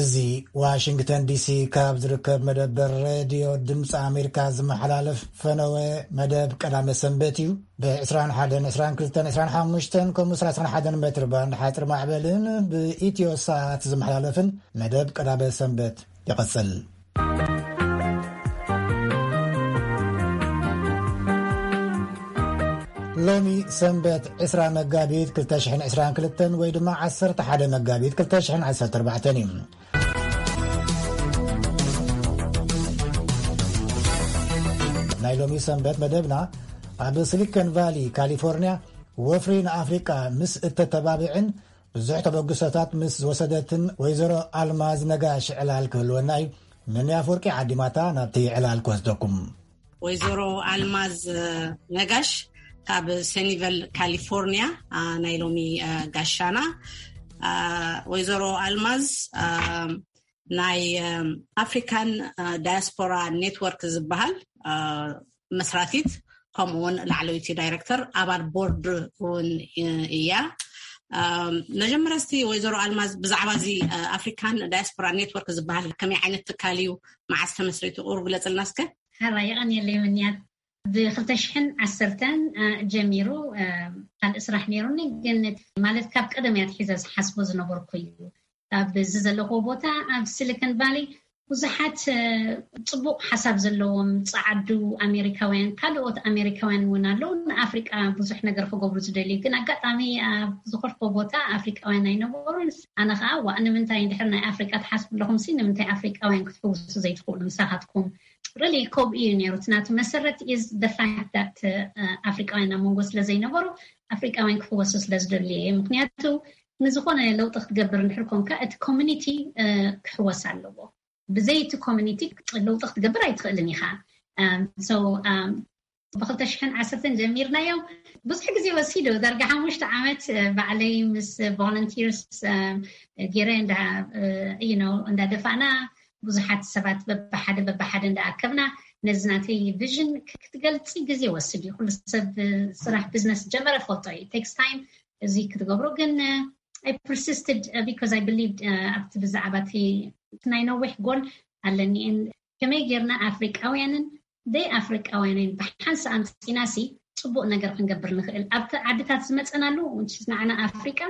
እዚ ዋሽንግተን ዲሲ ካብ ዝርከብ መደበር ሬድዮ ድምፂ ኣሜሪካ ዝመሓላለፍ ፈነወ መደብ ቀዳመ ሰንበት እዩ። ብ21፣ 22፣ 25 ከምኡ 31 ሜትር ባንድ ሓፂር ማዕበልን ብኢትዮ ሳት ዝመሓላለፍን መደብ ቀዳመ ሰንበት ይቐፅል። ሎሚ ሰንበት ዕስራ መጋቢት ክልተ ሽሕን ዕስራን ክልተን ወይ ድማ ዓሰርተ ሓደ መጋቢት ክልተ ሽሕን ዓሰርተ ኣርባዕተን እዩ። ናይ ሎሚ ሰንበት መደብና ኣብ ሲሊኮን ቫሊ ካሊፎርኒያ ወፍሪ ንኣፍሪቃ ምስ እተተባብዕን ብዙሕ ተበግሶታት ምስ ዝወሰደትን ወይዘሮ ኣልማዝ ነጋሽ ዕላል ክህልወና እዩ። መን ኣፍወርቂ ዓዲማታ ናብቲ ዕላል ክወስደኩም። ወይዘሮ ኣልማዝ ነጋሽ ካብ ሰኒቨል ካሊፎርኒያ፣ አ፣ ናይ ሎሚ፣ አ፣ ጋሻና። አ፣ ወይዘሮ ኣልማዝ፣ አ፣ ናይ፣ አ፣ ኣፍሪካን፣ አ፣ ዳያስፖራ ኔትወርክ ዝበሃል፣ አ፣ መስራቲት፣ ከምኡ እውን ላዕለወይቲ ዳይሬክተር፣ ኣባል ቦርድ እውን እያ። አ፣ መጀመርያ እስቲ ወይዘሮ ኣልማዝ ብዛዕባ እዚ፣ አ፣ ኣፍሪካን ዳያስፖራ ኔትወርክ ዝበሃል ከመይ ዓይነት ትካል እዩ፣ መዓስ ተመስሪቱ፣ ቁሩብ ግለጽልና እስከ። ሓራ የቐንየለይ ምንያት። ብ2010 ጀሚሩ፣ እ፣ ካልእ ስራሕ ነይሩኒ፣ ግን ማለት ካብ ቀደም እያ ትሒዘ ዝሓስቦ ዝነበርኩ እዩ። ኣብዚ ዘለኹዎ ቦታ ኣብ ሲሊኮን ቫሊ ብዙሓት፣ እ፣ ጽቡቕ ሓሳብ ዘለዎም ጸዓዱ ኣሜሪካውያን፣ ካልኦት ኣሜሪካውያን እውን ኣለዉ። ንኣፍሪቃ ብዙሕ ነገር ክገብሩ ዝደልዩ፣ ግን ኣጋጣሚ ኣብ ዝኸድኩዎ ቦታ ኣፍሪቃውያን ኣይነበሩን። ኣነ ኸኣ፣ "ዋእ፣ ንምንታይ እንድሕር ናይ ኣፍሪቃ ትሓስቡ ኣለኹም ሲ፣ ንምንታይ ኣፍሪቃውያን ክትሕውሱ ዘይትኽእሉ ምሳኻትኩም?" ሪሊ ከምኡ እዩ ነይሩ። እቲ ናቱ መሰረት is the fact that፣ እ፣ ኣፍሪቃውያን ኣብ መንጎ ስለ ዘይነበሩ፣ ኣፍሪቃውያን ክሕወሱ ስለ ዝደልዩ እየ። ምክንያቱ ንዝኾነ ለውጢ ክትገብር እንድሕር ኮንካ፣ እቲ ኮሚኒቲ፣ እ፣ ክሕወስ ኣለዎ። ብዘይ እቲ ኮሚኒቲ ለውጢ ክትገብር ኣይትኽእልን ኢኻ። እም፣ so፣ እም፣ ብ2010 ጀሚርናዮ። ብዙሕ ግዜ ወሲዱ፣ ዳርጋ ሓሙሽተ ዓመት፣ እ፣ ባዕለይ ምስ ቮለንቲርስ፣ እ፣ ገይረ እንዳ፣ እ፣ you know፣ እንዳደፋእና፣ ብዙሓት ሰባት በብሓደ በብሓደ እንዳኣከብና፣ ነዚ ናተይ ቪዥን ክ-፣ ክትገልጺ ግዜ ወስድ እዩ። ኩሉ ሰብ፣ እ፣ ስራሕ ቢዝነስ ጀመረ ፈልጦ እዩ። It takes time እዚ ክትገብሮ፣ ግን፣ እ፣ I persisted፣ እ፣ because I believed፣ እ፣ ኣብቲ ብዛዕባ እቲ፣ እቲ ናይ ነዊሕ ጎል ኣለኒ። እን-፣ ከመይ ጌርና ኣፍሪቃውያንን ደይ ኣፍሪቃውያንን ብሓንሳእ ኣምጺናሲ ጽቡቕ ነገር ክንገብር ንኽእል? ኣብቲ ዓድታት ዝመጸናሉ፣ which is ንዓና ኣፍሪቃ፣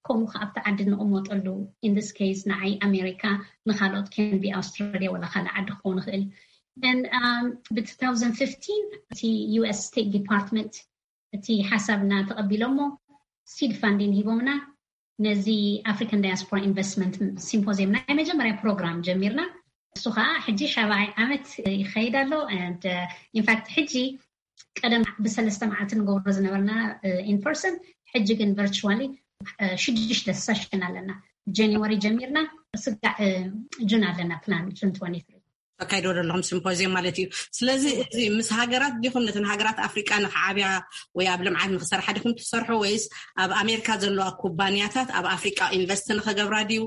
ከምኡ ከኣ ኣብቲ ዓዲ ንቕመጠሉ፣ in this case ንዓይ ኣሜሪካ፣ ንኻልኦት can be ኣውስትራልያ ወላ ካልእ ዓዲ ክኸውን ይኽእል። And, um፣ ብ2015 እቲ ዩ ኤስ ስቴት ዲፓርትመንት እቲ ሓሳብና ተቐቢሎሞ፣ ሲድ ፋንዲን ሂቦምና፣ ነዚ ኣፍሪካን ዳያስፖራ ኢንቨስትመንት ሲምፖዚየም ናይ መጀመርያ ፕሮግራም ጀሚርና። እሱ ከዓ ሕጂ ሻብዓይ ዓመት ይኸይድ ኣሎ። And, uh፣ in fact ሕጂ ቀደም ብሰለስተ መዓልቲ ንገብሮ ዝነበርና፣ uh፣ in person፣ ሕጂ ግን ቨርቹዋሊ፣ uh፣ ሽዱሽተ ሰሽን ኣለና። ጃንዋሪ ጀሚርና፣ ስጋዕ፣ uh፣ ጁን ኣለና ፕላን፣ ጁን ትወንቲ ትሪ። ተካይዶ ዘለኹም ሲምፖዚየም ማለት እዩ። ስለዚ እዚ ምስ ሃገራት ዲኹም፣ ነተን ሃገራት ኣፍሪቃ ንኽዓብያ ወይ ኣብ ልምዓት ንኽሰርሓ ዲኹም ትሰርሑ፣ ወይስ ኣብ ኣሜሪካ ዘለዋ ኩባንያታት ኣብ ኣፍሪቃ ኢንቨስት ንኽገብራ ድዩ?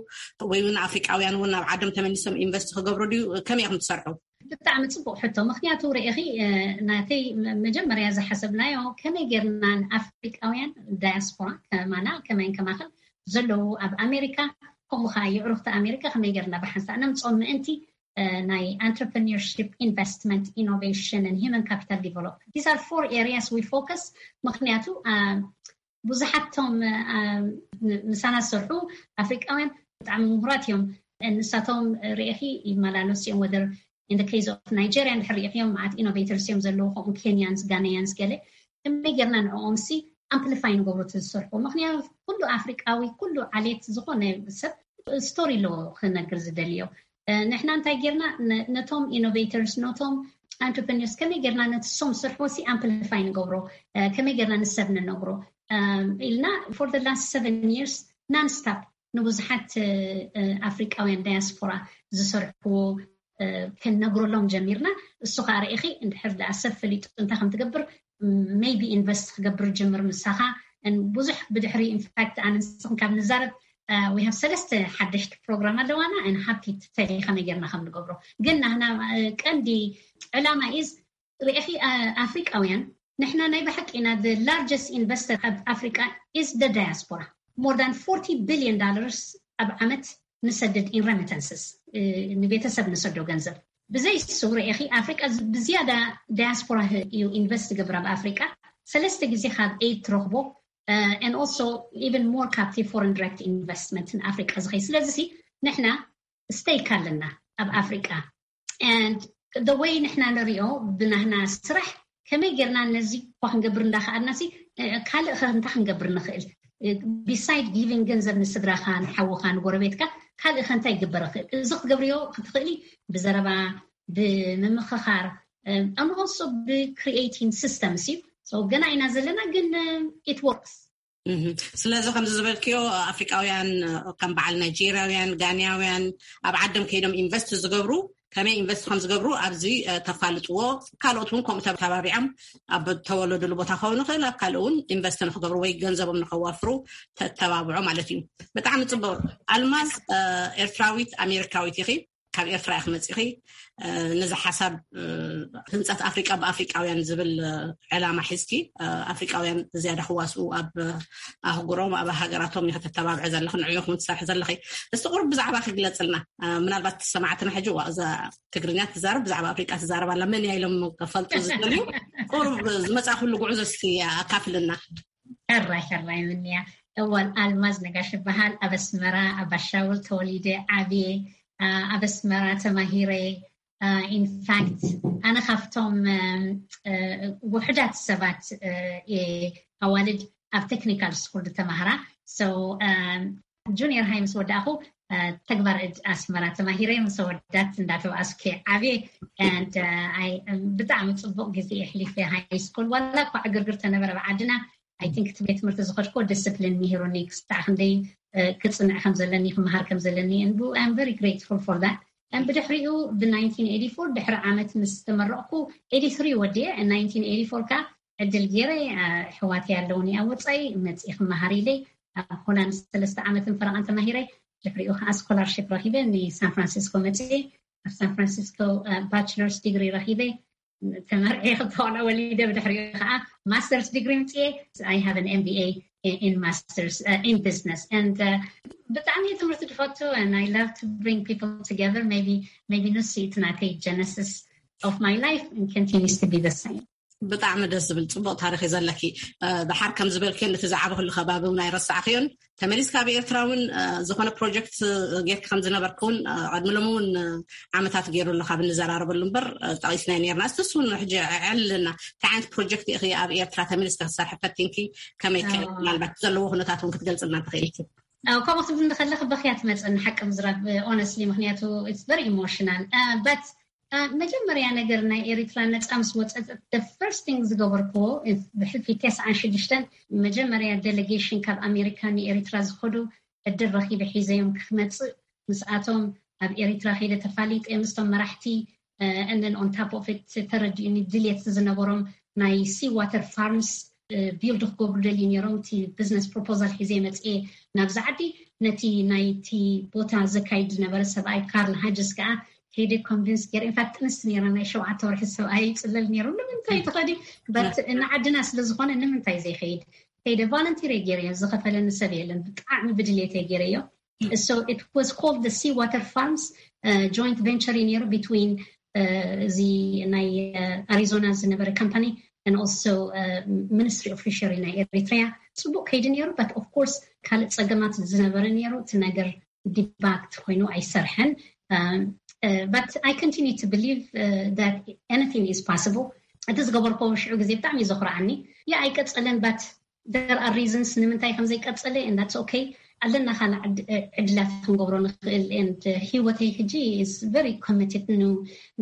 ወይ እውን ኣፍሪቃውያን እውን ናብ ዓዶም ተመሊሶም ኢንቨስት ክገብሩ ድዩ? ከመይ ኢኹም ትሰርሑ? ብጣዕሚ ጽቡቕ ሕቶ። ምኽንያቱ ርኢኺ፣ እ፣ ናተይ መ-፣ መጀመርያ ዝሓሰብናዮ ከመይ ጌርና ንኣፍሪቃውያን ዳያስፖራ ከማና ከማይን ከማኽን ዘለዉ ኣብ ኣሜሪካ፣ ከምኡ ኸዓ የዕሩኽቲ ኣሜሪካ ከመይ ጌርና ብሓንሳእ ነምጽኦም ምእንቲ፣ እ፣ ናይ entrepreneurship፣ investment፣ innovation and human capital development. These are four areas we focus። ምኽንያቱ፣ እ፣ ብዙሓት ቶም፣ እ፣ ም-፣ ምሳና ዝሰርሑ ኣፍሪቃውያን ብጣዕሚ ምሁራት እዮም። ንሳቶም ርኢኺ ይመላለሱ እዮም። ወደር in the case of Nigeria እንድሕር ርኢኽዮም፣ መዓት ኢኖቬተርስ እዮም ዘለዉ፣ ከምኡ ኬንያንስ፣ ጋናያንስ ገለ። ከመይ ጌርና ንዕኦም ሲ ኣምፕሊፋይ ንገብሮ እቲ ዝሰርሑ? ምኽንያቱ ኩሉ ኣፍሪቃዊ፣ ኩሉ ዓሌት ዝኾነ ሰብ ስቶሪ ኣለዎ ክነግር ዝደልዮ። እ፣ ንሕና እንታይ ጌርና፣ ነ-፣ ነቶም ኢኖቬተርስ፣ ነቶም ኣንትርፕረነርስ ከመይ ጌርና ነቲ ሶም ዝሰርሕዎ ሲ ኣምፕሊፋይ ንገብሮ፣ እ፣ ከመይ ጌርና ንሰብ ንነግሮ፣ እ፣ ኢልና for the last seven years non stop ንብዙሓት፣ እ፣ እ፣ ኣፍሪቃውያን ዳያስፖራ ዝሰርሕዎ፣ እ፣ ክንነግረሎም ጀሚርና። እሱ ኸኣ ርኢኺ፣ እንድሕር ደኣ ሰብ ፈሊጡ እንታይ ከም ትገብር፣ ም-፣ ሜይቢ ኢንቨስት ክገብር ጅምር ምሳኻ። እን ብዙሕ ብድሕሪ፣ ኢንፋክት፣ ኣነ ንስኽን ካብ ንዛረብ፣ እ፣ we have ሰለስተ ሓደሽቲ ፕሮግራም ኣለዋና። And happy to tell you ከመይ ጌርና ከም ንገብሮ። ግን ናህና፣ እ፣ ቀንዲ ዕላማ is ርኢኺ፣ ኣ-፣ ኣፍሪቃውያን፣ ንሕና ናይ ብሓቂ ኢና፣ the largest investor ኣብ ኣፍሪቃ is the diaspora። More than forty billion dollars ኣብ ዓመት ንሰድድ in remittances፣ ንቤተሰብ ንሰዶ ገንዘብ። ብዘይ ስውር ኢኺ ኣፍሪቃ ብዝያዳ ዳያስፖራ እዩ ኢንቨስት ገብር ኣብ ኣፍሪቃ። ሰለስተ ግዜ ካብ ኤድ ትረኽቦ and also even more ካብቲ foreign direct investment ንኣፍሪቃ ዝኸይ። ስለዚ ንሕና ስቴክ ኣለና ኣብ ኣፍሪቃ። And the way ንሕና ንሪኦ ብናህና ስራሕ ከመይ ጌርና ነዚ እኳ ክንገብር እንዳኸኣልና ሲ ካልእ ኸ እንታይ ክንገብር ንኽእል? ቢሳይድ ጊቪንግ ገንዘብ ንስድራኻ ንሓውኻ ንጎረቤትካ ካልእ ኸ እንታይ ይግበር ይኽእል? እዚ ክትገብርዮ ክትኽእሊ ብዘረባ ብምምኽኻር and also ብ creating systems እዩ። ገና ኢና ዘለና ግን it works። ስለዚ ከምዚ ዝበልክዮ ኣፍሪቃውያን ከም በዓል ናይጄርያውያን ጋንያውያን ኣብ ዓደም ከይዶም ኢንቨስት ዝገብሩ ከመይ ኢንቨስት ከም ዝገብሩ ኣብዚ ተፋልጥዎ። ካልኦት እውን ከምኡ ተባቢዖም ኣብ ተወለዱሉ ቦታ ከውን ይኽእል ኣብ ካልእ እውን ኢንቨስት ንክገብሩ ወይ ገንዘቦም ንከዋፍሩ ተተባብዖ ማለት እዩ። ብጣዕሚ ፅቡቅ። ኣልማዝ ኤርትራዊት ኣሜሪካዊት ኢኺ። ካብ ኤርትራ ኢኺ መፂኺ። ነዚ ሓሳብ ህንፀት ኣፍሪቃ ብኣፍሪቃውያን ዝብል ዕላማ ሒዝኪ ኣፍሪቃውያን ዝያዳ ክዋስኡ ኣብ ኣህጉሮም ኣብ ሃገራቶም ኢኺ ተተባብዐ ዘለኺ ንዕኡ ኢኹም ትሰርሒ ዘለኺ። እስቲ ቁሩብ ብዛዕባ ክግለፅልና። ምናልባት ሰማዕትና ሕጂ ዋ እዛ ትግርኛ ትዛረብ ብዛዕባ ኣፍሪቃ ትዛረብ ኣላ መን እያ ኢሎም ከፈልጡ ዝደልዩ ቁሩብ ዝመፃእኩሉ ጉዕዞ እስቲ ኣካፍልና። ሕራይ ሕራይ ምንያ። እዋን ኣልማዝ ነጋሽ ይበሃል። ኣብ ኣስመራ ኣብ ኣሻውል ተወሊደ ዓብየ። ኣብ ኣስመራ ተማሂረ። ኢንፋክት ኣነ ካብቶም ውሕዳት ሰባት ኣዋልድ ኣብ ቴክኒካል ስኩል ዝተማህራ። ጁኒየር ሃይ ምስ ወዳእኹ ተግባር እድ ኣስመራ ተማሂረ ምስ ወዳት እንዳተባኣስኩ ዓብየ። ብጣዕሚ ፅቡቅ ግዜ የሕሊፈ ሃይ ስኩል ዋላ እኳ ዕግርግር ተነበረ ብዓድና። ኣይ ቲንክ እቲ ቤት ትምህርቲ ዝኸድኮ ዲስፕሊን ምሂሩኒ ክስታዕ ክንደይ ክፅንዕ ከም ዘለኒ ክመሃር ከም ዘለኒ። I'm very grateful for that። ብድሕሪኡ ብ nineteen eighty four ድሕሪ ዓመት ምስ ተመረቕኩ eighty three ወዲየ nineteen eighty four ካ ዕድል ገይረ። ኣሕዋት ያለውኒ ኣብ ወፃኢ መፅኢ ክመሃር ኢለ ኣብ ሆላንድ ሰለስተ ዓመትን ፈረቓን ተማሂረ። ድሕሪኡ ከዓ ስኮላርሽፕ ረኪበ ንሳን ፍራንሲስኮ መፅኢ ኣብ ሳን ፍራንሲስኮ ባችለርስ ዲግሪ ረኪበ። ተመርዒ ክተቆልዑ ወሊደ ብድሕሪኡ ከዓ ማስተርስ ዲግሪ ምፅኤ። I have an M B A in masters in business and ብጣዕሚ ትምህርቲ ዝፈቱ and I love to bring people together. Maybe ንሱ እቲ ናተይ genesis of my life and continues to be the same. ብጣዕሚ ደስ ዝብል ፅቡቅ ታሪክ እዩ ዘለኪ። ድሓር ከም ዝበልክዮ ነቲ ዝዓበክሉ ከባቢ እውን ኣይረሳዕክዮን። ተመሊስካ ኣብ ኤርትራ እውን ዝኾነ ፕሮጀክት ጌርክ ከም ዝነበርክ እውን ቀድሚ ሎም እውን ዓመታት ገይሩ ኣሎ ካብ እንዘራረበሉ እምበር ጠቂስናይ ነርና። እስቲ እሱ እውን ሕጂ ዕልና እንታይ ዓይነት ፕሮጀክት ኢኺ ኣብ ኤርትራ ተመሊስካ ክትሰርሒ ፈቲንኪ ከመይ ከ ምናልባት ዘለዎ ኩነታት እውን ክትገልፅልና ትኽእልኪ? ከምኡ ክትብል እንከለክ በክያ ትመፅእ ንሓቂ ምዝራብ ኦነስሊ ምክንያቱ it's very emotional but መጀመርያ ነገር ናይ ኤሪትራ ነፃ ምስ ወፀት the first thing ዝገበርክዎ ብሕልፊ ተስዓን ሽዱሽተን መጀመርያ ዴሌጌሽን ካብ ኣሜሪካ ንኤሪትራ ዝኸዱ ዕድል ረኪበ ሒዘዮም ክመፅእ ምስኣቶም ኣብ ኤሪትራ ከይደ ተፋሊጠ ምስቶም መራሕቲ and then on top of it ተረዲኡኒ ድልየት ዝነበሮም ናይ sea water farms build ክገብሩ ደልዩ ነይሮም። እቲ business proposal ሒዘ መፅኤ ናብዚ ዓዲ ነቲ ናይቲ ቦታ ዘካይድ ዝነበረ ሰብኣይ ካርል ሃጅስ ከዓ ከይደ ኮንቪንስ ገይረ። ኢንፋክት ጥንስቲ ነይራ ናይ ሸውዓተ ወርሒ ሰብኣይ ይፅለል ነይሩ ንምንታይ ትኸዲ በት ንዓድና ስለዝኾነ ንምንታይ ዘይኸይድ ከይደ ቫለንቲር ገይረ ዝኸፈለኒ ሰብ የለን። ብጣዕሚ ብድሌት ገይረዮ። So it was called the sea water farms joint venture ነይሩ between እዚ ናይ ኣሪዞና ዝነበረ company and also ministry of fishery ናይ ኤሪትሪያ። ፅቡቅ ከይዲ ነይሩ but of course ካልእ ፀገማት ዝነበረ ነይሩ እቲ ነገር ዲባክት ኮይኑ ኣይሰርሐን። But I continue to believe that anything is possible። እቲ ዝገበርኮ ሽዑ ግዜ ብጣዕሚ እዩ ዘኩርዓኒ። ያ ኣይቀፀለን but there are reasons ንምንታይ ከም ዘይቀፀለ and that's okay። ኣለና ካልእ ዕድላት ክንገብሮ ንኽእል and ህይወተይ ሕጂ is very committed ን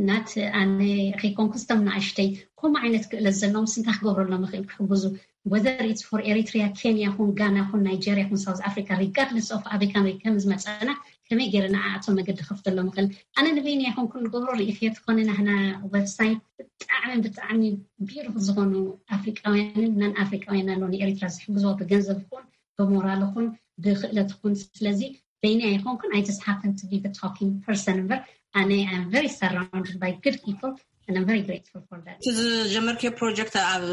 not ኣነ ከይኮንኩ ስቶም ንኣሽተይ ከምኡ ዓይነት ክእለት ዘለዎም ስንታ ክገብረሎም ይኽእል ክሕግዙ whether it's for Eritrea, Kenya ኩን ጋና ኩን ናይጀርያ ኩን ሳውዝ ኣፍሪካ regardless of ኣበይ ካን ከም ዝመፀና ከመይ ገይረ ንዓኣቶም መገዲ ከፍተሎም ይኽእል። ኣነ ንበይነይ ኣይኮንኩን ንገብሮ ርኢኽዮ ትኾነ ናህና ዌብሳይት ብጣዕሚ ብጣዕሚ ቢዩቲፉል ዝኾኑ ኣፍሪቃውያንን ናን ኣፍሪቃውያን ኣለዉ ንኤሪትራ ዝሕግዝዎ ብገንዘብ ይኹን ብሞራል ይኹን ብክእለት ይኹን። ስለዚ በይነይ ኣይኮንኩን I just happen to be the talking person እምበር ኣነ I'm very surrounded by good people And I'm very grateful for that. እቲ ዝጀመርክዮ ፕሮጀክት ኣብ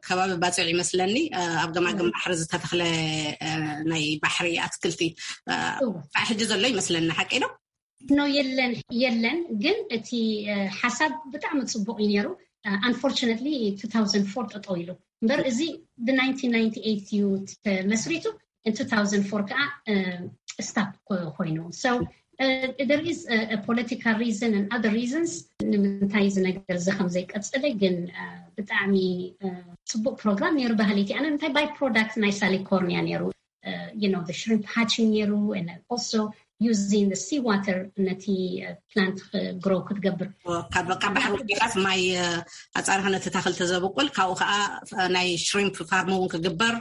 ከባቢ ባጽዕ ይመስለኒ፣ ኣብ ገማግም ባሕሪ ዝተተኽለ ናይ ባሕሪ ኣትክልቲ ሕጂ ዘሎ ይመስለኒ፣ ሓቂ ዶ? ኖ፣ የለን፣ የለን። ግን እቲ ሓሳብ ብጣዕሚ ጽቡቕ እዩ ነይሩ። Unfortunately two thousand four ጠጠው ኢሉ እምበር፣ እዚ ብ nineteen ninety eight እዩ ተመስሪቱ። In two thousand four ከዓ stop ኮይኑ። So there is a political reason and other reasons ንምንታይ እዚ ነገር እዚ ከም ዘይቀጸለ። ግን ብጣዕሚ ጽቡቅ ፕሮግራም ነይሩ። ባህሊቲ ኣነ እንታይ by product ናይ ሳሊኮርኒያ ነይሩ፣ you know, the shrimp hatching ነይሩ፣ and also using the sea water ነቲ plant grow ክትገብር። ካብ ባሕሪ ወዲኻስ ማይ ኣጻርኻ ነቲ ታኽል ተዘብቁል፣ ካብኡ ከዓ ናይ shrimp farm እውን ክግበር፣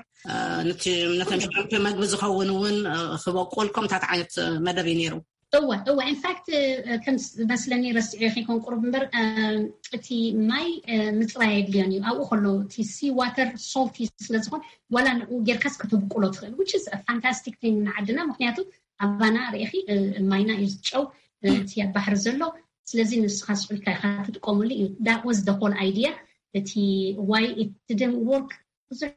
ነቶም shrimp መግቢ ዝኸውን እውን ክበቁል፣ ከምታት ዓይነት መደብ እዩ ነይሩ። እወ፣ እወ። In fact ከም መስለኒ ረስዒ ከይኮን ቁሩብ እምበር፣ እቲ ማይ ምፅራይ የድልዮን እዩ። ኣብኡ ከሎ እቲ sea water salty ስለዝኾን ዋላ ንኡ ጌርካስ ክትብቁሎ ትኽእል፣ which is fantastic thing ንዓድና። ምክንያቱ ኣባና ርኢኺ ማይና እዩ ዝጨው፣ እቲ ኣብ ባሕሪ ዘሎ። ስለዚ ንስኻ ስቁልካ ኢኻ ትጥቀሙሉ እዩ። That was the whole idea። እቲ why it didn't work ብዙሕ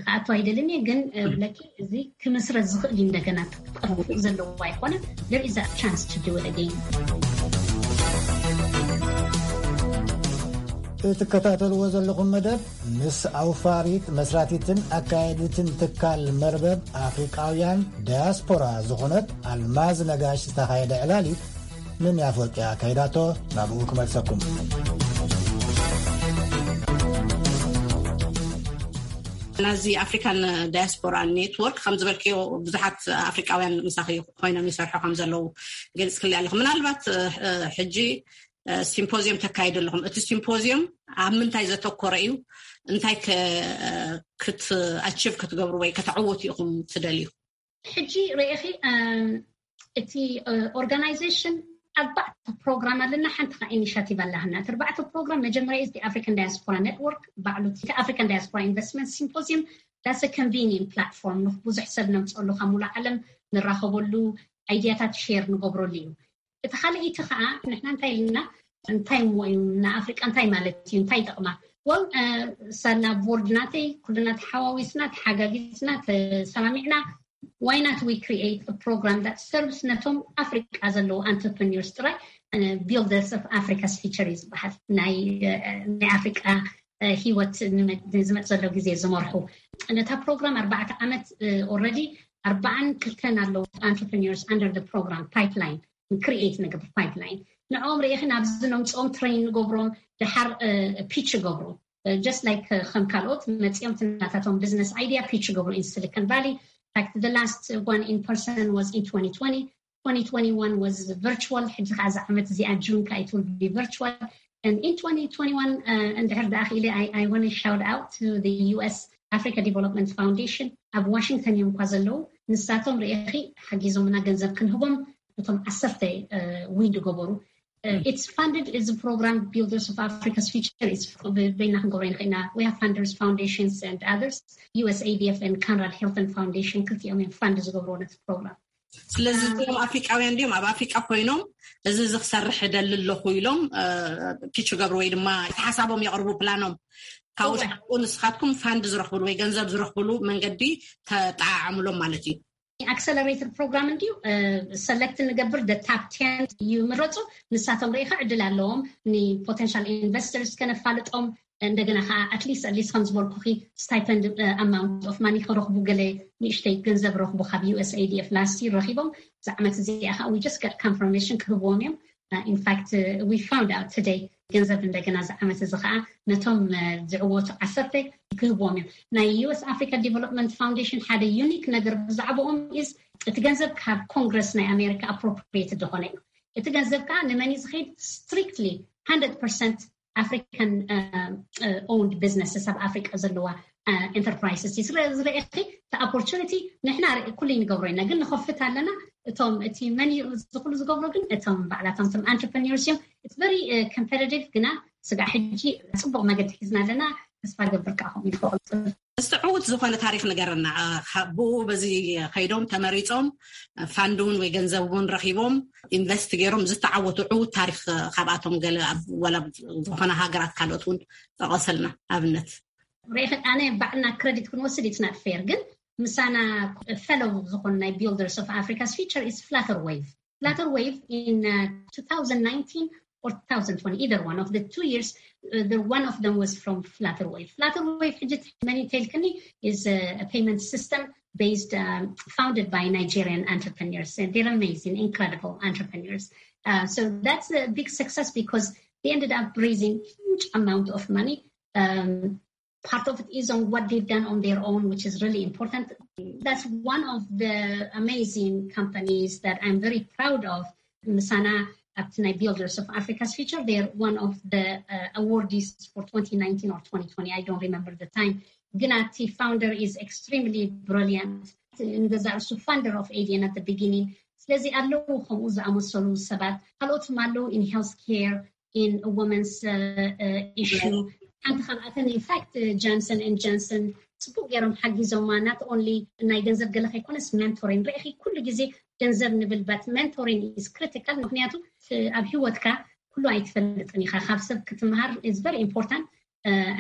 ክኣቱ ኣይደልን እየ፣ ግን ብለኪ እዚ ክምስረት ዝኽእል እዩ። እንደገና ክጠፍእ ዘለዎ ኣይኮነ። There is a chance to do it again። እትከታተልዎ ዘለኹም መደብ ምስ ኣውፋሪት መስራቲትን ኣካየዲትን ትካል መርበብ ኣፍሪቃውያን ዳያስፖራ ዝኾነት ኣልማዝ ነጋሽ ዝተኻየደ ዕላል እዩ። ንሚያ ፎቂ ኣካይዳቶ ናብኡ ክመልሰኩም። ናዚ ኣፍሪካን ዳያስፖራ ኔትወርክ ከም ዝበልክዮ ብዙሓት ኣፍሪቃውያን ምሳኺ ኮይኖም ይሰርሑ ከም ዘለዉ ገሊጽ ክሊ ኣለኹ። ምናልባት ሕጂ ሲምፖዚየም ተካይዱ ኣለኹም። እቲ ሲምፖዚየም ኣብ ምንታይ ዘተኮረ እዩ? እንታይ ክትኣችቭ ክትገብሩ ወይ ከተዕውቱ ኢኹም ትደልዩ? ሕጂ ርኢኺ እቲ ኦርጋናይዜሽን ኣርባዕተ ፕሮግራም ኣለና። ሓንቲ ከዓ ኢኒሽቲቭ ኣላህና። እቲ ኣርባዕተ ፕሮግራም መጀመሪያ እዚ ኣፍሪካን ዳያስፖራ ኔትወርክ ባዕሉ እቲ ኣፍሪካን ዳያስፖራ ኢንቨስትመንት ሲምፖዚየም that's a convenient platform። ብዙሕ ሰብ ነምፀሉ ካብ ሙሉ ዓለም ንራኸበሉ፣ ኣይዲያታት ሼር ንገብረሉ እዩ። እቲ ካልእ እቲ ከዓ ንሕና እንታይ ኢልና እንታይ እሞ እዩ ንኣፍሪቃ እንታይ ማለት እዩ እንታይ ይጠቕማ? ወል ሳና ቦርድ ናተይ ኩልና ተሓዋዊስና ተሓጋጊዝና ተሰማሚዕና why not we create a program that serves ነቶም ኣፍሪቃ ዘለዉ entrepreneurs ጥራይ። Builders of Africa's Future እዩ ዝበሃል። ናይ ኣፍሪቃ ህይወት ዝመፅ ዘሎ ግዜ ዝመርሑ ነታ ፕሮግራም ኣርባዕተ ዓመት already ኣርባዓን ክልተን ኣለዉ entrepreneurs under the program pipeline create ንገብር pipeline ንዕኦም ርኢኺ ናብዚ ነምፅኦም train ንገብሮም ድሓር pitch ይገብሩ just like ከም ካልኦት መፂኦም ትናታቶም business idea pitch ይገብሩ in Silicon Valley. Like the last one in person was in twenty twenty. Twenty twenty-one was virtual. ሕጂ ከዓ እዚ ዓመት እዚኣ ጁን ከዓ it will be virtual. And in twenty twenty-one እንድሕር ደኣ ክኢለ I want to shout out to the U S Africa Development Foundation ኣብ ዋሽንግተን እዮም እኳ ዘለዉ። ንሳቶም ርኢኺ ሓጊዞምና ገንዘብ ክንህቦም እቶም ዓሰርተ win ዝገበሩ። It's funded እዚ program Builders of Africa's Future is በይና ክንገብሮ ንኽእልና we have funders foundations and others. U S A D F and Conrad Hilton Foundation ክልቲኦም እዮም fund ዝገብርዎ ነቲ ፕሮግራም። ስለዚ እዚኦም ኣፍሪቃውያን እንዲኦም ኣብ ኣፍሪቃ ኮይኖም እዚ እዚ ክሰርሕ እደሊ ኣለኹ ኢሎም pitch ይገብሩ ወይ ድማ እቲ ሓሳቦም የቕርቡ ፕላኖም ካብኡ ንስኻትኩም fund ዝረኽብሉ ወይ ገንዘብ ዝረኽብሉ መንገዲ ተጠዓዓምሎም ማለት እዩ። Accelerator program እንዲዩ select ንገብር the top ten ይምረፁ። ንሳቶም ርኢኻ ዕድል ኣለዎም ን potential investors ከነፋልጦም እንደገና ከዓ at least at least ከም ዝበልኩኺ stipend amount of money ክረኽቡ ገለ ንእሽተይ ገንዘብ ረኽቡ ካብ U S A D F last year ረኺቦም እዚ ዓመት እዚኣ ከዓ we just got confirmation ክህብዎም እዮም። In fact we found out today ገንዘብ እንደገና እዚ ዓመት እዚ ከዓ ነቶም ዝዕወቱ ዓሰርተ ክህብዎም እዮም። ናይ U S Africa Development Foundation ሓደ unique ነገር ብዛዕባኦም is እቲ ገንዘብ ካብ ኮንግረስ ናይ ኣሜሪካ appropriate ዝኾነ እዩ። እቲ ገንዘብ ከዓ ንመን እዩ ዝኸይድ? Strictly hundred percent African owned businesses ኣብ ኣፍሪቃ ዘለዋ enterprises እዩ ዝረእኺ። እቲ opportunity ንሕና ኩሉ ንገብሮ ኢና ግን ንኸፍት ኣለና። እቶም እቲ መን እዩ ዝኩሉ ዝገብሮ ግን እቶም ባዕላቶም እቶም entrepreneurs እዮም። It's very competitive ግና ስጋዕ ሕጂ ፅቡቅ መገዲ ሒዝና ኣለና። ተስፋ ገብር ከዓ ከምኡ ኢሉ ክቕፅል። እስቲ ዕዉት ዝኾነ ታሪክ ንገረና። ብኡ በዚ ከይዶም ተመሪፆም ፋንድ እውን ወይ ገንዘብ እውን ረኪቦም ኢንቨስት ገይሮም ዝተዓወቱ ዕዉት ታሪክ ካብኣቶም ገለ ወላ ዝኾነ ሃገራት ካልኦት እውን ጠቐሰልና ኣብነት። ርኢኺ ኣነ ባዕልና ክረዲት ክንወስድ it's not fair ግን ምሳና fellow ዝኾኑ ናይ builders of Africa's future is Flutterwave. Flutterwave in uh, two thousand nineteen or two thousand twenty, either one of the two years, uh, the one of them was from Flutterwave. Flutterwave ሕጂ መን ተልክኒ is a, a payment system based um, founded by Nigerian entrepreneurs. And they're amazing, incredible entrepreneurs. Uh, so that's a big success because they ended up raising huge amount of money. Um, part of it is on what they've done on their own, which is really important. That's one of the amazing companies that I'm very proud of. Misana Aptinai Builders of Africa's Future, they're one of the uh, awardees for twenty nineteen or twenty twenty. I don't remember the time. Ginati founder is extremely brilliant. Ngazarsu founder of Avian at the beginning. ስለዚ ኣለዉ ከምኡ ዝኣመሰሉ ሰባት ካልኦትም ኣለዉ in health care in women's uh, uh, issue ሓንቲ ካብኣተን in fact Johnson and Johnson ጽቡቅ ገይሮም ሓጊዞማ not only ናይ ገንዘብ ገለ ከይኮነስ mentoring ርኢኺ ኩሉ ግዜ ገንዘብ ንብል but mentoring is critical ምክንያቱ ኣብ ህይወትካ ኩሉ ኣይትፈልጥን ኢኻ ካብ ሰብ ክትምሃር is very important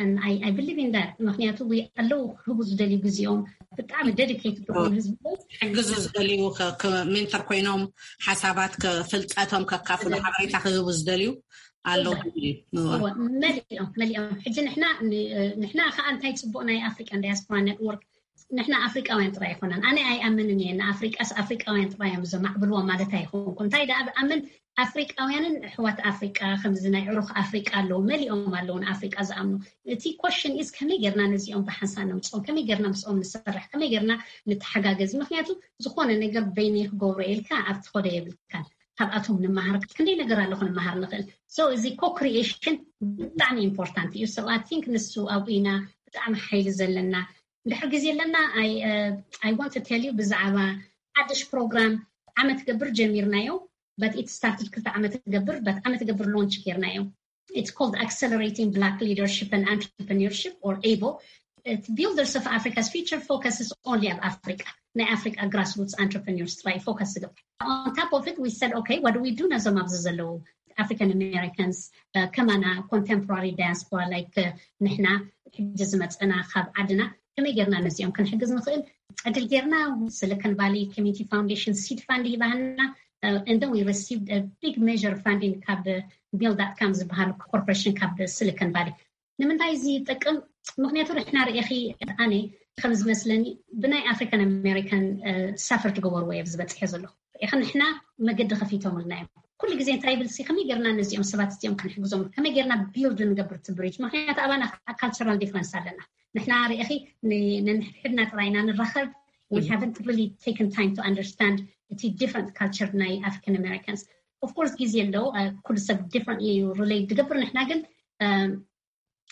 and I, I believe in that ምክንያቱ ኣለዉ ክህቡ ዝደልዩ ግዜኦም ብጣዕሚ dedicated ዝኾኑ ህዝቢ ሕግዙ ዝደልዩ ሜንተር ኮይኖም ሓሳባት ፍልጠቶም ከካፍሉ ሓበሬታ ክህቡ ዝደልዩ ኣለዉ። መሊኦም መሊኦም ሕጂ ንሕና ንሕና ከዓ እንታይ ፅቡቅ ናይ ኣፍሪቃን ዳያስፖራ ኔትወርክ ንሕና ኣፍሪቃውያን ጥራይ ኣይኮነን ኣነ ኣይኣምንን እየ ንኣፍሪቃስ ኣፍሪቃውያን ጥራይ እዮም ዘማዕብልዎ ማለት ኣይኮንኩ እንታይ ደኣ ብኣምን ኣፍሪቃውያንን ኣሕዋት ኣፍሪቃ ከምዚ ናይ ዕሩኽ ኣፍሪቃ ኣለዉ መሊኦም ኣለዉ ንኣፍሪቃ ዝኣምኑ እቲ question is ከመይ ጌርና ነዚኦም ብሓንሳብ ነምፅኦም ከመይ ጌርና ምስኦም ንሰርሕ ከመይ ጌርና ንተሓጋገዝ ምክንያቱ ዝኾነ ነገር በይነይ ክገብሮ ኢልካ ኣብቲ ኸዶ የብልካን ካብኣቶም ንመሃር ክንደይ ነገር ኣለኹ ንመሃር ንኽእል so እዚ co-creation ብጣዕሚ important እዩ so I think ንሱ ኣብኡ ኢና ብጣዕሚ ሓይሊ ዘለና እንድሕር ግዜ ኣለና I want to tell you ብዛዕባ ሓድሽ ፕሮግራም ዓመት ገብር ጀሚርናዮ but it started ክልተ ዓመት ገብር but ዓመት ገብር launch ጌርናዮ it's called accelerating black leadership and entrepreneurship or able builders of Africa's future focuses only ኣብ ኣፍሪቃ ናይ ኣፍሪቃ grassroots entrepreneurs ጥራይ focus ዝገብር on top of it we said okay what do we do ነዞም ኣብዚ ዘለዉ African Americans ከማና contemporary diaspora like ንሕና ሕጂ ዝመፀና ካብ ዓድና ከመይ ጌርና ነዚኦም ክንሕግዝ ንኽእል ዕድል ጌርና Silicon Valley Community Foundation seed fund ሂባሃና and then we received a big measure funding ካብ build.com ዝበሃል corporation ካብ Silicon Valley ንምንታይ እዚ ይጠቅም ምክንያቱ ንሕና ርኢኺ ኣነ ከም ዝመስለኒ ብናይ African American suffer ትገበርዎ እየ ዝበፅሐ ዘለኹ ርኢኺ ንሕና መገዲ ከፊቶምልና እዮም ኩሉ ግዜ እንታይ ይብል ከመይ ጌርና ነዚኦም ሰባት እዚኦም ክንሕግዞም ከመይ ጌርና build ንገብር እቲ bridge ምክንያቱ ኣባና cultural difference ኣለና ንሕና ርኢኺ ነንሕድሕድና ጥራይና ንራኸብ we haven't really taken time to understand እቲ different culture ናይ African Americans of course ግዜ ኣለዉ ኩሉ ሰብ differently relate ዝገብር ንሕና ግን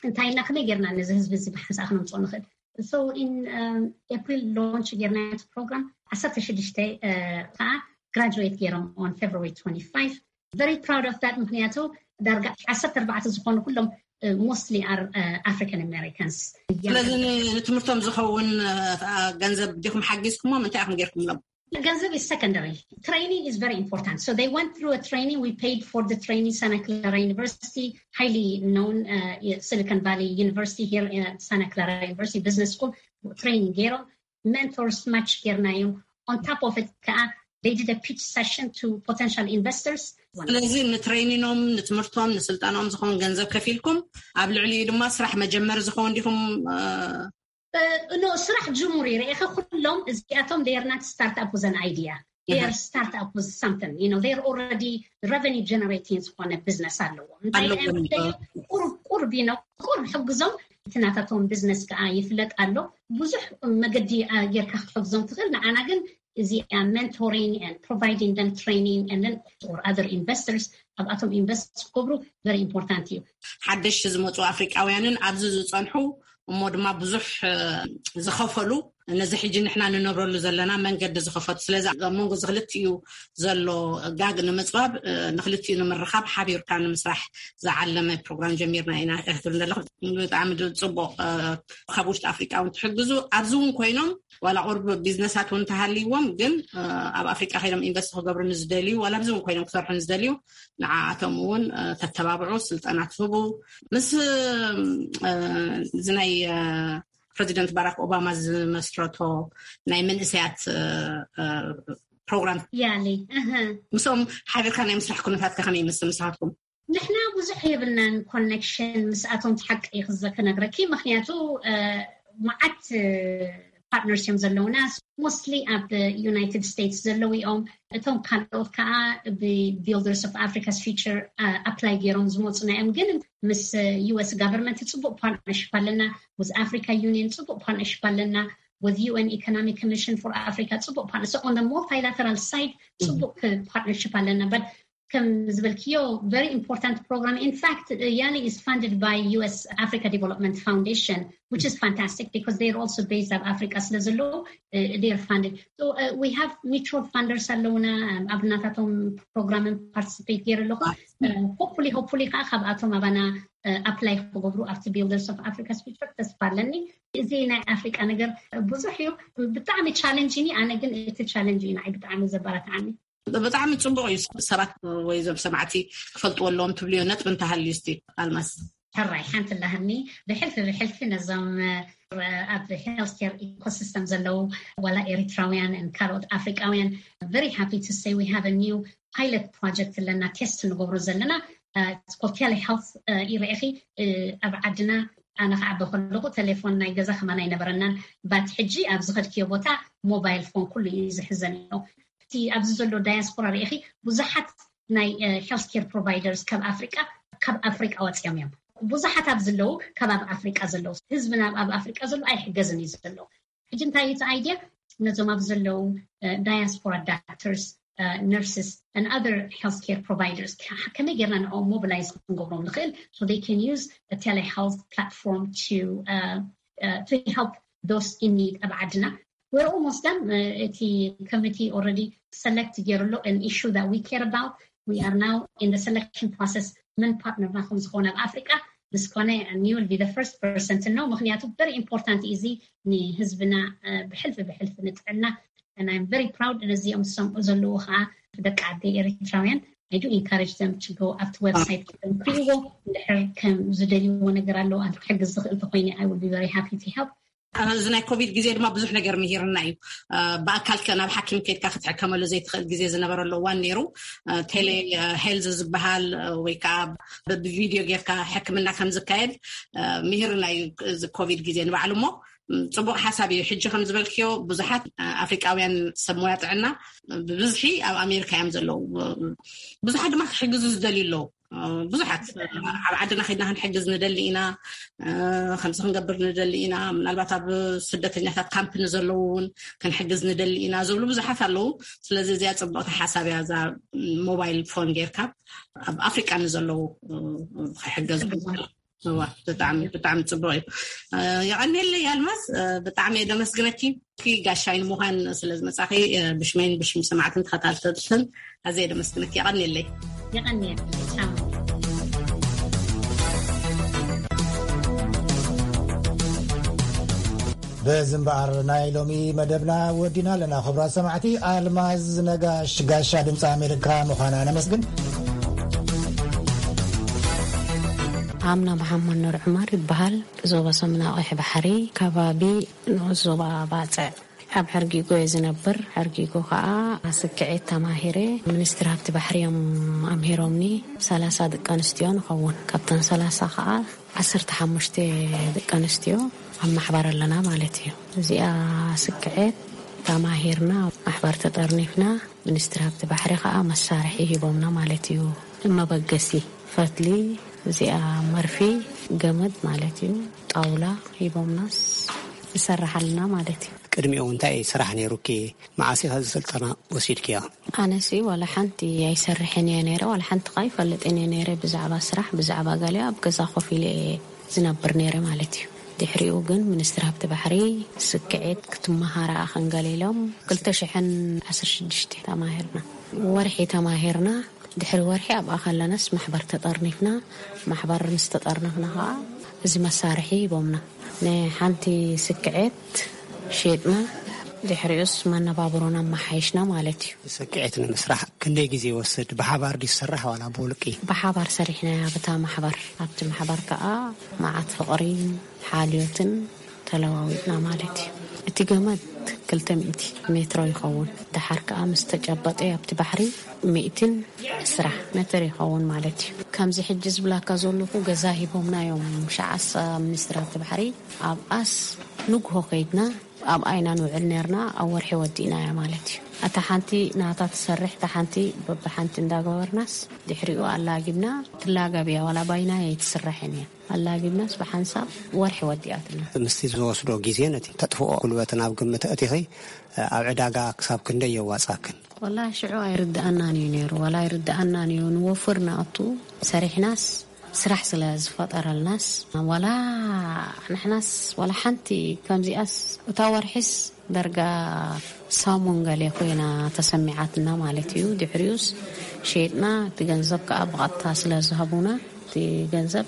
እንታይ ኢልና ከመይ ጌርና ነዚ ህዝቢ እዚ ብሓንሳእ ክነምፅኦ ንኽእል so in April launch ጌርና እቲ program ዓሰርተ ሽዱሽተ ከዓ graduate ጌሮም on February twenty-five very proud of that ምክንያቱ ዳርጋ ዓሰርተ ኣርባዕተ ዝኾኑ ኩሎም mostly are African Americans ስለዚ ንትምህርቶም ዝኸውን ገንዘብ ዲኹም ሓጊዝኩሞም እንታይ ኢኹም ጌርኩምሎም ገንዘብ is secondary training is very important so they went through a training we paid for the training Santa Clara University highly known uh, Silicon Valley University here in Santa Clara University Business School training ጌሮም mentors match ጌርናዮም on top of it ከዓ they did a pitch session to potential investors ስለዚ ንትሬኒኖም ንትምህርቶም ንስልጠናኦም ዝኸውን ገንዘብ ከፊልኩም ኣብ ልዕሊኡ ድማ ስራሕ መጀመሪ ዝኸውን ዲኹም ኖ ስራሕ ጅሙር ይርኢኸ ኩሎም እዚኣቶም they are not start up with an idea they are start up with something you know they are already revenue generating ዝኾነ business ኣለዎም እንታይ ቁርብ ቁርብ you know ቁርብ ሕግዞም እቲ ናታቶም business ከዓ ይፍለጥ ኣሎ ብዙሕ መገዲ ጌርካ ክትሕግዞም ትኽእል ንዓና ግን እዚኣ mentoring and providing them training and then or other investors ኣብኣቶም invest ክገብሩ very important እዩ ሓደሽቲ ዝመፁ ኣፍሪቃውያንን ኣብዚ ዝፀንሑ እሞ ድማ ብዙሕ ዝኸፈሉ ነዚ ሕጂ ንሕና ንነብረሉ ዘለና መንገዲ ዝኸፈቱ። ስለዚ ኣብ መንጎ እዚ ክልቲኡ ዘሎ ጋግ ንምፅባብ፣ እ፣ ንክልቲኡ ንምርኻብ ሓቢርካ ንምስራሕ ዝዓለመ ፕሮግራም ጀሚርና ኢና። እያ ክትብል ዘለኹ ብጣዕሚ ድ-፣ ፅቡቕ፣ እ፣ ካብ ውሽጢ ኣፍሪቃ እውን ትሕግዙ፣ ኣብዚ እውን ኮይኖም ዋላ ቁርብ ቢዝነሳት እውን ተሃልይዎም፣ ግን፣ እ፣ ኣብ ኣፍሪቃ ከይዶም ኢንቨስት ክገብሩ ንዝደልዩ፣ ዋላ ኣብዚ እውን ኮይኖም ክሰርሑ ንዝደልዩ፣ ንዓኣቶም እውን፣ እ፣ ተተባብዑ፣ ስልጠና ትህቡ። ምስ፣ እ፣ እዚ ናይ፣ እ፣ ፕሬዚደንት ባራክ ኦባማ ዝመስረቶ ናይ መንእሰያት፣ እ፣ እ፣ ፕሮግራም ያሊ፣ እህ። ምስኦም ሓቢርካ ናይ ምስራሕ ኩነታት ከ ከመይ ይመስል ንስኻትኩም? ንሕና ብዙሕ የብልናን ኮኔክሽን ምስኣቶም፣ ሓቂ ክዘ-፣ ክነግረኪ፣ ምኽንያቱ፣ እ፣ መዓት፣ እ፣ ፓርትነርስ እዮም ዘለውና። ሞስትሊ ኣብ ዩናይትድ ስቴትስ ዘለዉ እዮም። እቶም ካልኦት ከዓ ብቢልደርስ ኦፍ ኣፍሪካስ ፊውቸር ኣፕላይ ገይሮም ዝመፁና እዮም። ግን ምስ ዩ ኤስ ጋቨርንመንት ፅቡቅ ፓርትነርሽፕ ኣለና። ዊዝ ኣፍሪካ ዩኒየን ፅቡቅ ፓርትነርሽፕ ኣለና። ዊዝ ዩ ኤን ኢኮኖሚክ ኮሚሽን ፎር ኣፍሪካ ፅቡቅ ፓርትነር፣ ኦን ሞልቲላተራል ሳይድ ፅቡቅ ፓርትነርሽፕ ኣለና። በት ከም ዝበልክዮ፣ ቨሪ ኢምፖርታንት ፕሮግራም። In fact, YALI is funded by U S Africa Development Foundation, which is fantastic because they're also based ኣብ ኣፍሪካ ስለ ዘለዉ፣ uh, they're funded. So, uh, we have mutual funders ኣለውና፣ um, ኣብ ናታቶም ፕሮግራምን ፓርቲስፔት ገይረ ኣለኹ። Hopefully, hopefully ከዓ ካብኣቶም ኣባና፣ uh, ኣፕላይ ክገብሩ ኣብቲ ቢልደርስ ኦፍ ኣፍሪካ ስፒቸር ተስፋ ኣለኒ። እዚ ናይ ኣፍሪካ ነገር ብዙሕ እዩ፣ ብጣዕሚ ቻለንጅ ኒ። ኣነ ግን እቲ ቻለንጅ እዩ ንዓይ ብጣዕሚ ዘበረታዓኒ። ብጣዕሚ ጽቡቕ እዩ። ሰባት ወይ ዞም ሰማዕቲ ክፈልጥዎ ኣለዎም ትብልዮ ነጥቢ እንተሃልዩ እስቲ ኣልማዝ። ሕራይ ሓንቲ ኣለሃኒ። ብሕልፊ ብሕልፊ ነዞም፣ እ፣ ኣብ ሄልት ኬር ኢኮሲስተም ዘለዉ ዋላ ኤሪትራውያን and ካልኦት ኣፍሪቃውያን፣ very happy to say we have a new pilot project ኣለና፣ ቴስት ንገብሮ ዘለና፣ እ፣ it's called telehealth፣ እ፣ ይረኤኺ፣ እ፣ ኣብ ዓድና ኣነ ክዓበ ከለኹ ቴሌፎን ናይ ገዛ ከማን ኣይነበረናን። ባት ሕጂ ኣብ ዝኸድክዮ ቦታ ሞባይል ፎን ኩሉ እዩ ዝሕዘን ኣሎ። እቲ ኣብዚ ዘሎ ዳያስፖራ ርኢኺ፣ ብዙሓት ናይ፣ እ፣ ሄልት ኬር ፕሮቫይደርስ ካብ ኣፍሪቃ፣ ካብ ኣፍሪቃ ወፂኦም እዮም። ብዙሓት ኣብ ዘለዉ፣ ካብ ኣብ ኣፍሪቃ ዘለዉ፣ ህዝብና ኣብ ኣፍሪቃ ዘሎ ኣይሕገዝን እዩ ዘሎ። ሕጂ እንታይ እዩ እቲ ኣይድያ? ነዞም ኣብ ዘለዉ፣ እ፣ ዳያስፖራ ዳክተርስ፣ እ፣ ነርስስ and other health care providers ከ-፣ ከመይ ጌርና ንዕኦም ሞቢላይዝ ክንገብሮም ንኽእል? So they can use a telehealth platform to, uh, uh, to help those in need ኣብ ዓድና። We're almost done. Uh, እቲ ኮሚቲ ኦልሬዲ ሰለክት ገይሩ ኣሎ an issue that we care about. We are now in the selection process መን ፓርትነርና ከም ዝኾነ ኣብ ኣፍሪቃ። ምስ ኮነ you will be the first person to know፣ ምኽንያቱ very important እዩ እዚ ንህዝብና፣ uh፣ ብሕልፊ ብሕልፊ ንጥዕና። And I'm very proud ነዚኦም ዝሰምዑ ዘለዉ ከዓ ደቂ ዓደይ ኤሪትራውያን። I do encourage them to go ኣብቲ ዌብሳይት ክሪእዎ፣ እንድሕር ከም ዝደልይዎ ነገር ኣለዎ፣ ኣነ ክሕግዝ ዝኽእል ተኮይነ I will be very happy to help። ኣብ እዚ ናይ ኮቪድ ግዜ ድማ ብዙሕ ነገር ምሂርና እዩ። እ፣ ብኣካል ከ ናብ ሓኪም ከድካ ክትሕከመሉ ዘይትኽእል ግዜ ዝነበረሉ እዋን ነይሩ። እ፣ ቴሌ፣ እ፣ ሄልዝ ዝበሃል፣ እ፣ ወይ ከዓ ብ-፣ ብቪድዮ ጌርካ ሕክምና ከም ዝካየድ፣ እ፣ ምሂርና እዩ እዚ ኮቪድ ግዜ ንባዕሉ። እሞ፣ ም፣ ጽቡቕ ሓሳብ እዩ። ሕጂ ከም ዝበልክዮ ብዙሓት፣ እ፣ ኣፍሪቃውያን ሰብ ሞያ ጥዕና ብብዝሒ ኣብ ኣሜሪካ እዮም ዘለዉ። ብዙሓት ድማ ክሕግዙ ዝደልዩ ኣለዉ። እ፣ ብዙሓት ኣብ ዓድና ከድና ክንሕግዝ ንደሊ ኢና፣ እ፣ ከምዚ ክንገብር ንደሊ ኢና። ምናልባት ኣብ ስደተኛታት ካምፕ ንዘለዉ እውን ክንሕግዝ ንደሊ ኢና ዝብሉ ብዙሓት ኣለዉ። ስለዚ እዚኣ ጽብቕቲ ሓሳብ እያ፣ እዛ ሞባይል ፎን ጌርካ ኣብ ኣፍሪቃ ንዘለዉ፣ እ፣ ክሕገዙ። እዋ፣ ብጣዕሚ፣ ብጣዕሚ ጽቡቕ እዩ። እ፣ የቐንየለይ ኣልማዝ፣ እ፣ ብጣዕሚ እየ ደመስግነኪ። ኪ ጋሻይ ንምዃን ስለ ዝመጻኺ፣ እ፣ ብሽመይን ብሽም ሰማዕትን ተኸታተልትን ኣዝየ ደመስግነኪ። የቐንየለይ። የቐንየለይ። ቻው። በዚ እምበኣር ናይ ሎሚ መደብና ወዲና ኣለና። ክቡራት ሰማዕቲ፣ ኣልማዝ ነጋሽ ጋሻ ድምፂ ኣሜሪካ ምዃና ነመስግን። ኣምና መሓመድ ኑር ዑመር ይበሃል። ዞባ ሰሜናዊ ቀይሕ ባሕሪ፣ ከባቢ ንኡስ ዞባ ባጽዕ። ኣብ ሕርጊጎ እየ ዝነብር። ሕርጊጎ ከኣ ስክዔት ተማሂረ ሚኒስትሪ ሃብቲ ባሕሪ እዮም ኣምሂሮምኒ። ሰላሳ ደቂ ኣንስትዮ ንኸውን። ካብተን ሰላሳ ከኣ ዓሰርተ ሓሙሽተ ደቂ ኣንስትዮ ኣብ ማሕበር ኣለና ማለት እዩ። እዚኣ ስክዔት ተማሂርና፣ ማሕበር ተጠርኒፍና፣ ሚኒስትሪ ሃብቲ ባሕሪ ከኣ መሳርሒ ሂቦምና ማለት እዩ። መበገሲ ፈትሊ፣ እዚኣ መርፊ፣ ገመድ ማለት እዩ፣ ጣውላ ሂቦምናስ ንሰርሕ ኣለና ማለት እዩ። ቅድሚኡ እንታይ ስራሕ ነይሩኪ? መዓስ ኢኻ እዚ ስልጠና ወሲድክዮ? ኣነሲ ዋላ ሓንቲ ኣይሰርሕን እየ ነይረ፣ ዋላ ሓንቲ ኸኣ ኣይፈልጥን እየ ነይረ ብዛዕባ ስራሕ፣ ብዛዕባ ገለ ኣብ ገዛ ኮፍ ኢለ እየ ዝነብር ነይረ ማለት እዩ። ድሕሪኡ ግን ሚኒስትሪ ሃብቲ ባሕሪ ስክዒት ክትመሃራ ኣኸንገል ኢሎም ክልተ ሽሕን ዓሰርተ ሽዱሽተ ተማሂርና። ወርሒ ተማሂርና። ድሕሪ ወርሒ ኣብኣ ከለናስ ማሕበር ተጠርኒፍና። ማሕበር ምስ ተጠርነፍና ኸዓ እዚ መሳርሒ ሂቦምና። ንሓንቲ ስክዔት ሸጥና። ድሕሪኡስ መነባብሮና ኣመሓይሽና ማለት እዩ። ስክዔት ንምስራሕ ክንደይ ግዜ ይወስድ? ብሓባር ድዩ ዝስራሕ ዋላ ብውልቂ? ብሓባር ሰሪሕናያ ብታ ማሕበር። ኣብቲ ማሕበር ከኣ መዓት ፍቕሪ፣ ሓልዮትን ተለዋዊጥና ማለት እዩ። እቲ ገመድ ክልተ ሚእቲ ሜትሮ ይኸውን። ደሓር ከኣ ምስ ተጨበጠ ኣብቲ ባሕሪ ሚእትን ዕስራ ሜትር ይኸውን ማለት እዩ። ከምዚ ሕጂ ዝብላካ ዘለኹ ገዛ ሂቦምና እዮም። ሸዓሳ ሚኒስትሪ ኣብቲ ባሕሪ ኣብኣስ ንግሆ ከይድና ኣብኣ ኢና ንውዕል ነርና። ኣብ ወርሒ ወዲእናያ ማለት እዩ። እታ ሓንቲ ናታ ትሰርሕ፣ እታ ሓንቲ በብሓንቲ እንዳገበርናስ ድሕሪኡ ኣላጊብና። ትላገብ እያ፣ ዋላ ባይና ኣይትስራሕን እያ። ኣላጊብናስ ብሓንሳብ ወርሒ ወዲኣትና። ምስቲ ዝወስዶ ግዜ ነቲ ተጥፍኦ ጉልበት ናብ ግምት ኣእቲኺ፣ ኣብ ዕዳጋ ክሳብ ክንደይ የዋጻክን? ወላ ሽዑ ኣይርድኣናን እዩ ነይሩ፣ ዋላ ኣይርድኣናን እዩ። ንወፍር ንኣቱ ሰሪሕናስ ስራሕ ስለ ዝፈጠረልናስ፣ ዋላ ንሕናስ ዋላ ሓንቲ ከምዚኣስ እታ ወርሒስ ደርጋ ሳሙን ገለ ኮይና ተሰሚዓትና ማለት እዩ። ድሕሪኡስ ሸይጥና፣ እቲ ገንዘብ ከኣ ብቐጥታ ስለ ዝሃቡና፣ እቲ ገንዘብ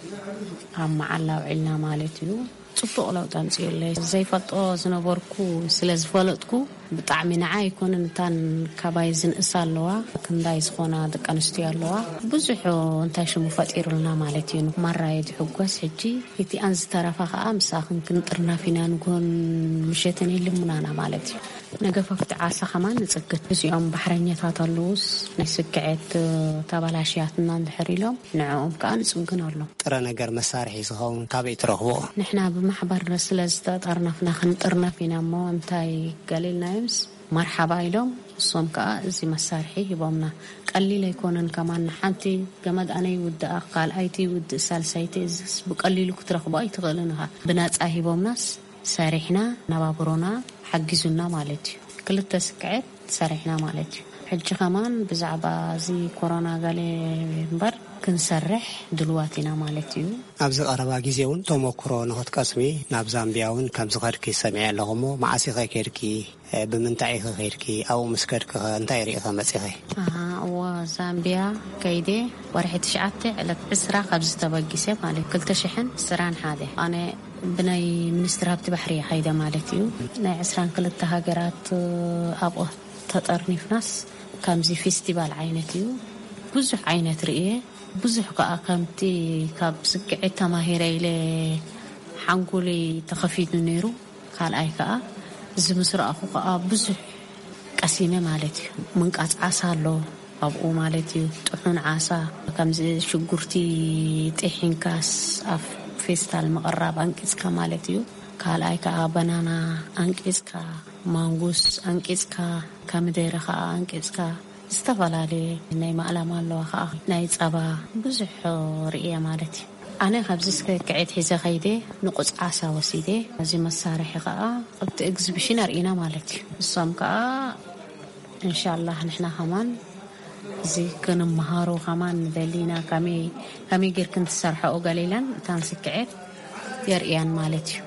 ኣብ መዓላ ኣውዒልና ማለት እዩ። ጽቡቕ ለውጢ ኣምጺኡለይ። ዘይፈልጦ ዝነበርኩ ስለ ዝፈለጥኩ፣ ብጣዕሚ ንዓ ኣይኮነን፣ እታን ካባይ ዝንእሳ ኣለዋ፣ ክንዳይ ዝኾና ደቂ ኣንስትዮ ኣለዋ። ብዙሕ እንታይ ሽሙ ፈጢሩልና ማለት እዩ። ማራ እየ ዝሕጎስ። ሕጂ እቲኣን ዝተረፋ ከኣ ምሳኽን ክንጥርናፍ ኢና፣ ንግሆን ምሸትን ይልምናና ማለት እዩ። ነገፋፍቲ ዓሳ ከማን ንጽግን። እዚኦም ባሕረኛታት ኣለዉስ፣ ናይ ስክዔት ተበላሽያትና እንድሕር ኢሎም፣ ንዕኦም ከኣ ንጽግን ኣሎ። ጥረ ነገር መሳርሒ ዝኸውን ካበይ ትረኽብኦ? ንሕና ብማሕበር ስለ ዝተጠርነፍና ክንጥርነፍ ኢና እሞ፣ እንታይ ገሊልናዮምስ፣ መርሓባ ኢሎም፣ እሶም ከኣ እዚ መሳርሒ ሂቦምና። ቀሊል ኣይኮነን ከማን፣ ንሓንቲ ገመድ ኣነ ይውድኣ፣ ካልኣይቲ ይውድእ፣ ሳልሳይቲ፣ እዚስ ብቀሊሉ ክትረኽቦ ኣይትኽእልን ኢኻ። ብነጻ ሂቦምናስ፣ ሰሪሕና፣ ነባብሮና ሓጊዙና ማለት እዩ። ክልተ ስክዔት ሰሪሕና ማለት እዩ። ሕጂ ከማን ብዛዕባ እዚ ኮሮና ገለ እምበር ክንሰርሕ ድልዋት ኢና ማለት እዩ። ኣብዚ ቀረባ ግዜ እውን ተመክሮ ንኽትቀስሚ ናብ ዛምቢያ እውን ከም ዝኸድኪ ሰሚዐ ኣለኹ እሞ፣ መዓስ ኢኸ ከድኪ? እ፣ ብምንታይ ኢኸ ከድኪ? ኣብኡ ምስ ከድኪ ኸ እንታይ ርኢኸ መጺኺ? ኣሃ፣ እወ፣ ዛምቢያ ከይደ ወርሒ ትሽዓተ ዕለት ዕስራ ካብዚ ተበጊሰ ማለት ክልተ ሽሕን ዕስራን ሓደ። ኣነ ብናይ ሚኒስትሪ ሃብቲ ባሕሪ እየ ኸይደ ማለት እዩ። ናይ ዕስራን ክልተ ሃገራት፣ እ፣ ኣብኡ ተጠርኒፍናስ ከምዚ ፌስቲቫል ዓይነት እዩ። ብዙሕ ዓይነት ርእየ። ብዙሕ ከኣ ከምቲ ካብ ስክዔት ተማሂረ ኢለ ሓንጎለይ ተኸፊቱ ነይሩ። ካልኣይ ከኣ እዚ ምስ ረኣኹ ከኣ ብዙሕ ቀሲመ ማለት እዩ። ምንቃጽ ዓሳ ኣሎ ኣብኡ ማለት እዩ። ጥሑን ዓሳ ከምዚ ሽጉርቲ ጢሒንካስ ኣብ ፌስታል ምቕራብ ኣንቂጽካ ማለት እዩ። ካልኣይ ከኣ በናና ኣንቂጽካ፣ ማንጉስ ኣንቂጽካ፣ ከሚደረ ከኣ ኣንቂጽካ፣ ዝተፈላለየ ናይ ማእላማ ኣለዋ ከኣ ናይ ጸባ ብዙሕ ርእየ ማለት እዩ። ኣነ ካብዚ ስክዔት ሒዘ ከይደ ንቑጽ ዓሳ ወሲደ፣ እዚ መሳርሒ ከኣ ኣብቲ ኤግዚቢሽን ኣርኢና ማለት እዩ። እሶም ከኣ እንሻላህ ንሕና ከማን እዚ ክንመሃሮ ከማን ንደሊ ኢና። ከመይ፣ ከመይ ጌርክን ትሰርሐኦ ገለ ኢለን እታን ስክዔት የርእያን ማለት እዩ።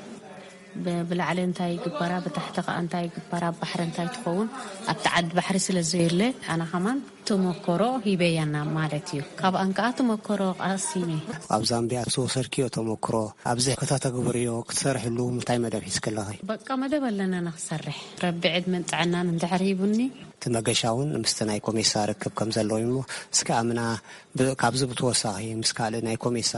ብ-፣ ብላዕሊ እንታይ ይግበራ፣ ብታሕቲ ከኣ እንታይ ይግበራ፣ ኣብ ባሕሪ እንታይ ትኸውን፣ ኣብቲ ዓዲ ባሕሪ ስለ ዘየለ፣ ኣነ ከማን ተመክሮ ሂበያና ማለት እዩ። ካብኣን ከኣ ተመክሮ ቀሲመ። ኣብ ዛምቢያ ዝወሰድክዮ ተመክሮ፣ ኣብዚ ከተተግብርዮ፣ ክትሰርሕሉ እንታይ መደብ ሒዝኪ ኣለኺ? በቃ መደብ ኣለና ንኽሰርሕ። ረቢ ዕድመን ጥዕናን እንድሕር ሂቡኒ። እቲ መገሻ እውን ምስቲ ናይ ኮሜሳ ርክብ ከም ዘለዎ እዩ እሞ፣ እስከ ኣምና ብ-፣ ካብዚ ብተወሳኺ ምስ ካልእ ናይ ኮሜሳ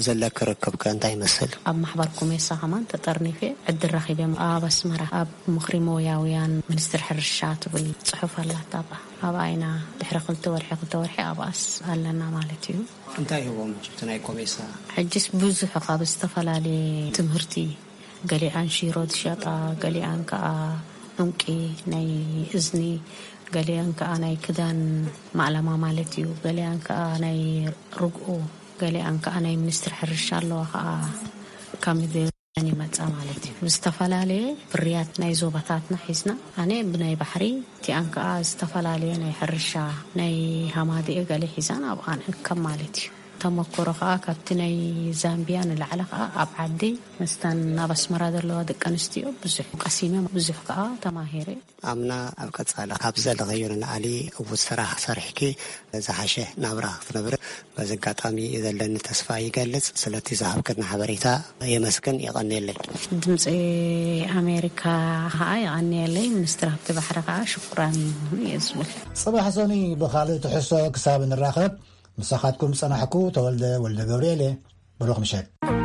ዘለኪ ርክብ ከ እንታይ ይመስል? ኣብ ማሕበር ኮሜሳ ከማን ተጠርኒፈ ዕድል ረኺበ። ኣብ ኣስመራ ኣብ ምኽሪ ሞያውያን ሚኒስትሪ ሕርሻ ትብል ጽሑፍ ኣላታ። ኣብኣ፣ ኣብኣ ኢና ድሕሪ ክልተ ወርሒ፣ ክልተ ወርሒ ኣብኣስ ኣለና ማለት እዩ። እንታይ ይህቦም ሕጂ እቲ ናይ ኮሜሳ? ሕጂስ ብዙሕ ካብ ዝተፈላለየ ትምህርቲ፣ ገሊኣን ሽሮ ዝሸጣ፣ ገሊኣን ከኣ ዑንቂ ናይ እዝኒ፣ ገሊኣን ከኣ ናይ ክዳን ማእለማ ማለት እዩ፣ ገሊኣን ከኣ ናይ ርግኦ፣ ገሊኣን ከኣ ናይ ሚኒስትሪ ሕርሻ ኣለዋ ከኣ ካብ ምድር ይመጻ ማለት እዩ። ዝተፈላለየ ፍርያት ናይ ዞባታትና ሒዝና፣ ኣነ ብናይ ባሕሪ፣ እቲኣን ከኣ ዝተፈላለየ ናይ ሕርሻ፣ ናይ ሃማድኤ ገለ ሒዛን ኣብኣ ንእከብ ማለት እዩ። ተመክሮ ከዓ ካብቲ ናይ ዛምቢያ ንላዕሊ ከዓ ኣብ ዓዲ ምስታን ኣብ ኣስመራ ዘለዋ ደቂ ኣንስትዮ ብዙሕ ቀሲመ፣ ብዙሕ ከዓ ተማሂረ። ኣምና ኣብ ቀጻሊ ካብ ዘለኸዮ ንላዕሊ ዕዉት ስራሕ ሰሪሕኪ ዝሓሸ ናብራ ክትነብሪ በዚ ኣጋጣሚ ዘለኒ ተስፋ ይገልጽ። ስለቲ ዝሃብክና ሓበሬታ የመስግን፣ የቐንየለይ። ድምፂ ኣሜሪካ ከዓ የቐንየለይ። ሚኒስትሪ ሃብቲ ባሕሪ ከዓ ሽኩራን እየ ዝብል። ጽባሕ ሶኒ ብኻልእ ትሕዝቶ ክሳብ ንራኸብ፣ ምሳኻትኩም ጸናሕኩ። ተወልደ ወልደ ገብርኤል እየ። ብሩኽ ምሸት።